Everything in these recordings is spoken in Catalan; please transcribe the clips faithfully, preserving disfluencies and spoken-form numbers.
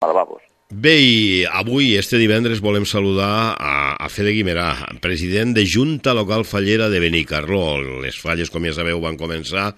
a lavabos. Bé, i avui, este divendres, volem saludar a, a Fede Guimerà, president de Junta Local Fallera de Benicarló. Les falles, com ja sabeu, van començar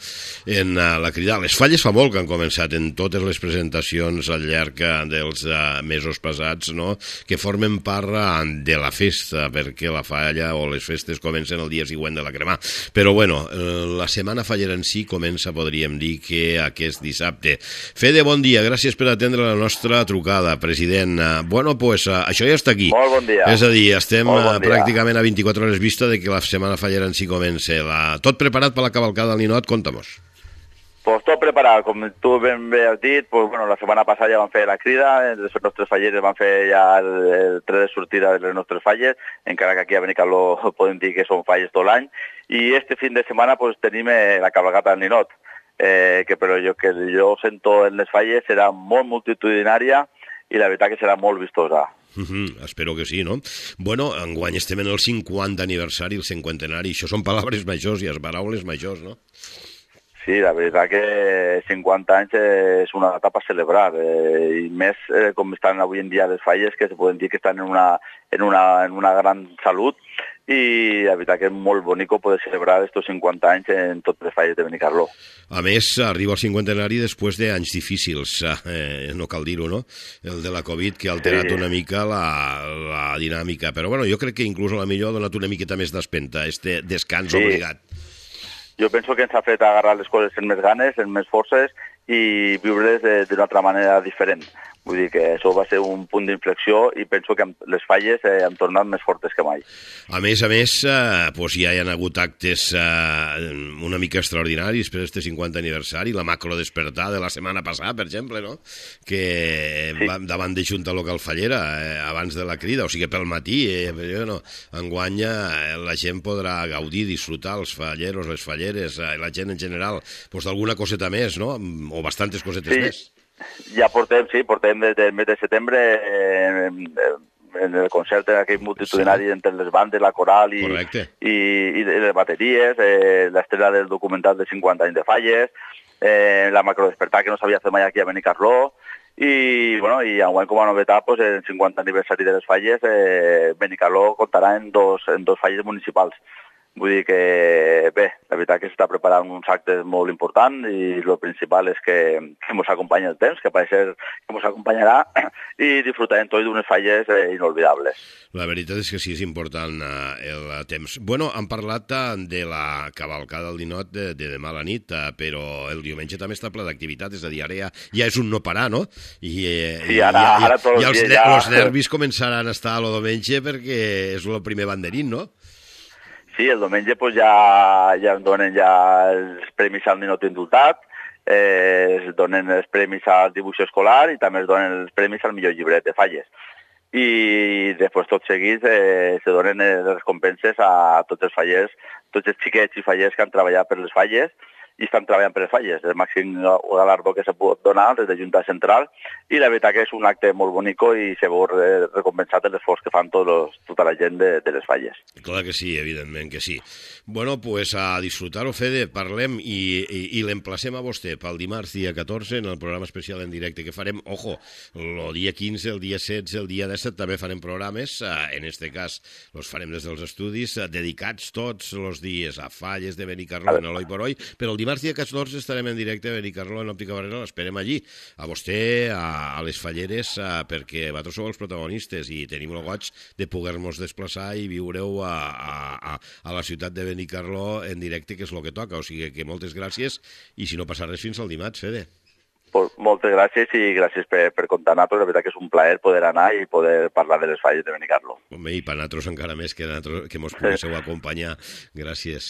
en uh, la crida. Les falles fa molt que han començat en totes les presentacions al llarg dels uh, mesos passats, no?, que formen part uh, de la festa, perquè la falla o les festes comencen el dia següent de la cremà. Però, bueno, uh, la setmana fallera en si comença, podríem dir, que aquest dissabte. Fede, bon dia, gràcies per atendre la nostra trucada, president. Bueno, pues uh, això ja està aquí. Molt bon dia. És a dir, estem bon uh, pràcticament a vint-i-quatre hores vista de que la setmana fallera en si comença. La... Tot preparat per la cavalcada del Ninot? Conta-mos. Pues tot preparat, com tu ben bé has dit, pues, bueno, la setmana passada ja vam fer la crida, els nostres fallers van fer ja el, el tret de sortida de les nostres falles, encara que aquí a Benicarló podem dir que són falles tot l'any, i este fin de setmana pues, tenim eh, la cavalcada del Ninot, eh, que però jo, que jo sento en les falles serà molt multitudinària, i la veritat que serà molt vistosa. Uh -huh, espero que sí, no? Bueno, enguany estem en el cinquanta aniversari, el cinquantenari, això són paraules majors i les paraules majors, no? Sí, la veritat que cinquanta anys és una data per celebrar, eh, i més eh, com estan avui en dia les falles, que se poden dir que estan en una, en una, en una gran salut, i la veritat que és molt bonic poder celebrar estos cinquanta anys en totes les falles de Benicarló. A més, arriba el cinquantenari després d'anys difícils, eh, no cal dir-ho, no? El de la Covid, que ha alterat sí. una mica la, la dinàmica, però bueno, jo crec que inclús a la millor ha donat una miqueta més d'espenta, este descans sí. obligat. Jo penso que ens ha fet agarrar les coses amb més ganes, amb més forces, i viure-les d'una altra manera diferent. Vull dir que això va ser un punt d'inflexió i penso que les falles eh, han tornat més fortes que mai. A més a més, eh, doncs ja hi ha hagut actes eh, una mica extraordinaris per aquest cinquanta aniversari, la macro despertar de la setmana passada, per exemple, no?, que sí. va davant de Junta Local Fallera, eh, abans de la crida, o sigui, pel matí, eh, no, enguany eh, la gent podrà gaudir, disfrutar, els falleros, les falleres, eh, la gent en general, doncs d'alguna coseta més, no?, o bastantes cosetes sí. més. Ja portem, sí, portem des del mes de setembre eh, en el concert aquell multitudinari sí. entre les bandes, la coral i, i, i les bateries, eh, l'estrella del documental de cinquanta anys de falles, eh, la macrodespertar que no s'havia fet mai aquí a Benicarló, i, bueno, i enguany com a novetat, pues, el cinquanta aniversari de les falles, eh, Benicarló comptarà en dos, en dos falles municipals. Vull dir que, bé, la veritat que s'està preparant uns actes molt importants i el principal és que, que ens acompanya el temps, que pareix que ens acompanyarà i disfrutarem tot d'unes falles eh, inolvidables. La veritat és que sí, és important eh, el temps. Bueno, han parlat eh, de la cavalcada del Ninot de, de demà a la nit, eh, però el diumenge també està ple d'activitat, és a dir, ara ja, ja és un no parar, no? I, eh, sí, ara, ja, ara tots ja, els dies ja... els nervis començaran a estar a lo diumenge perquè és el primer banderín, no? Sí, el diumenge pues, ja, ja em donen ja els premis al Ninot indultat, eh, es donen els premis al dibuix escolar i també es donen els premis al millor llibret de falles. I després tot seguit eh, se donen les recompenses a tots els fallers, tots els xiquets i fallers que han treballat per les falles i estan treballant per les falles. El màxim galardó que se pot donar des de Junta Central i la veritat que és un acte molt bonic i se vol recompensar l'esforç que fan tots los, tota la gent de, de les falles. Clar que sí, evidentment que sí. Bueno, pues a disfrutar-ho, Fede, parlem i, i, i l'emplacem a vostè pel dimarts dia catorze en el programa especial en directe que farem, ojo, el dia quinze, el dia setze, el dia disset també farem programes, en este cas els farem des dels estudis, dedicats tots els dies a falles de Benicarló en Eloi por Hoy, però el dimarts dia catorze estarem en directe a Benicarló en Òptica Barrera, l'esperem allí, a vostè, a, a les falleres, a, perquè vosaltres sou els protagonistes i tenim el goig de poder-nos desplaçar i viure-ho a, a, a la ciutat de Benicarló en directe, que és el que toca, o sigui que moltes gràcies i si no passa res fins al dimarts, Fede. Pues moltes gràcies i gràcies per, per comptar a nosaltres, la veritat que és un plaer poder anar i poder parlar de les falles de Benicarló. Home, i per nosaltres encara més que, que mos poguéssiu acompanyar. Gràcies.